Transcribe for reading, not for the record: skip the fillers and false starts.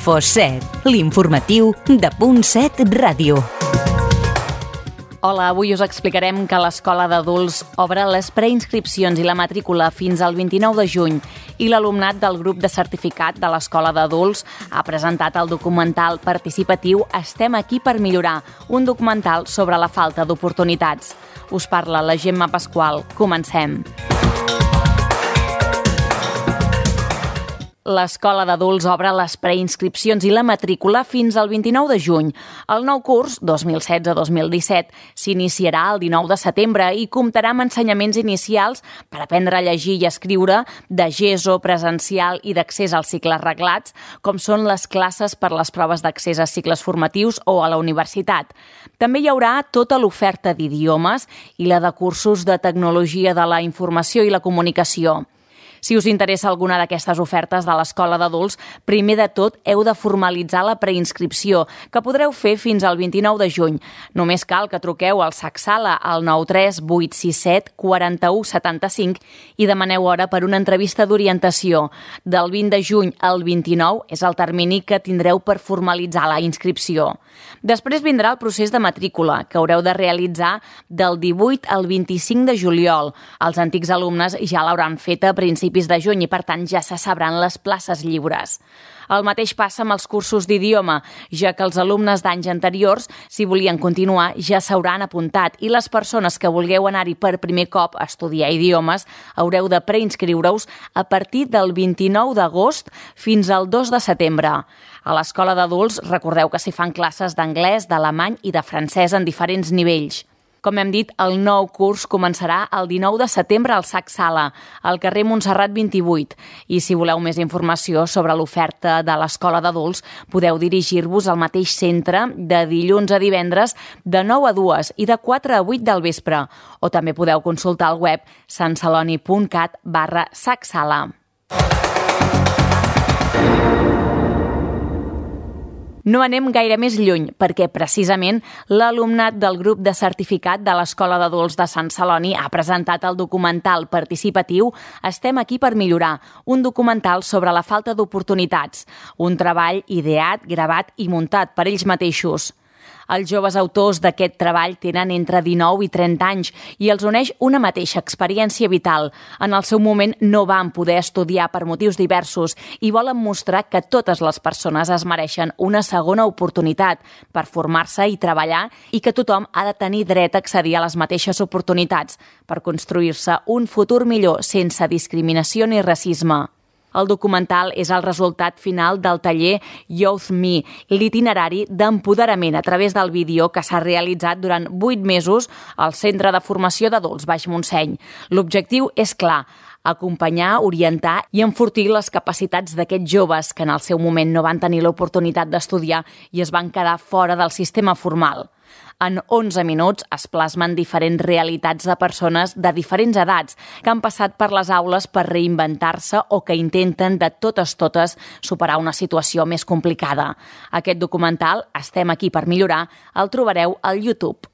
Info7, l'informatiu de Punt 7 Ràdio. Hola, avui us explicarem que l'Escola d'Adults obre les preinscripcions i la matrícula fins al 29 de juny i l'alumnat del grup de certificat de l'Escola d'Adults ha presentat el documental participatiu Estem aquí per millorar, un documental sobre la falta d'oportunitats. Us parla la Gemma Pasqual. Comencem. L'Escola d'Adults obre les preinscripcions i la matrícula fins al 29 de juny. El nou curs, 2016-2017, s'iniciarà el 19 de setembre i comptarà amb ensenyaments inicials per aprendre a llegir i escriure, de GESO, presencial i d'accés als cicles reglats, com són les classes per les proves d'accés a cicles formatius o a la universitat. També hi haurà tota l'oferta d'idiomes i la de cursos de tecnologia de la informació i la comunicació. Si us interessa alguna d'aquestes ofertes de l'Escola d'Adults, primer de tot heu de formalitzar la preinscripció, que podreu fer fins al 29 de juny. Només cal que truqueu al SAC-Sala al 93 867 41 75 i demaneu hora per una entrevista d'orientació. Del 20 de juny al 29 és el termini que tindreu per formalitzar la inscripció. Després vindrà el procés de matrícula, que haureu de realitzar del 18 al 25 de juliol. Els antics alumnes ja l'hauran fet a principis de juny i, per tant, ja se sabran les places lliures. El mateix passa amb els cursos d'idioma, ja que els alumnes d'anys anteriors, si volien continuar, ja s'hauran apuntat i les persones que vulgueu anar-hi per primer cop a estudiar idiomes haureu de preinscriure-us a partir del 29 d'agost fins al 2 de setembre. A l'Escola d'Adults recordeu que s'hi fan classes d'anglès, d'alemany i de francès en diferents nivells. Com hem dit, el nou curs començarà el 19 de setembre al SAC-Sala, al carrer Montserrat 28. I si voleu més informació sobre l'oferta de l'Escola d'Adults, podeu dirigir-vos al mateix centre de dilluns a divendres de 9 a 2 i de 4 a 8 del vespre. O també podeu consultar el web santceloni.cat/SAC-Sala. No anem gaire més lluny, perquè precisament l'alumnat del grup de certificat de l'Escola d'Adults de Sant Celoni ha presentat el documental participatiu Estem aquí per millorar, un documental sobre la falta d'oportunitats, un treball ideat, gravat i muntat per ells mateixos. Els joves autors d'aquest treball tenen entre 19 i 30 anys i els uneix una mateixa experiència vital. En el seu moment no van poder estudiar per motius diversos i volen mostrar que totes les persones es mereixen una segona oportunitat per formar-se i treballar i que tothom ha de tenir dret a accedir a les mateixes oportunitats per construir-se un futur millor sense discriminació ni racisme. El documental és el resultat final del taller Youth Me, l'itinerari d'empoderament a través del vídeo que s'ha realitzat durant 8 mesos al Centre de Formació d'Adults Baix Montseny. L'objectiu és clar: acompanyar, orientar i enfortir les capacitats d'aquests joves que en el seu moment no van tenir l'oportunitat d'estudiar i es van quedar fora del sistema formal. En 11 minuts es plasmen diferents realitats de persones de diferents edats que han passat per les aules per reinventar-se o que intenten de totes superar una situació més complicada. Aquest documental, Estem aquí per millorar, el trobareu al YouTube.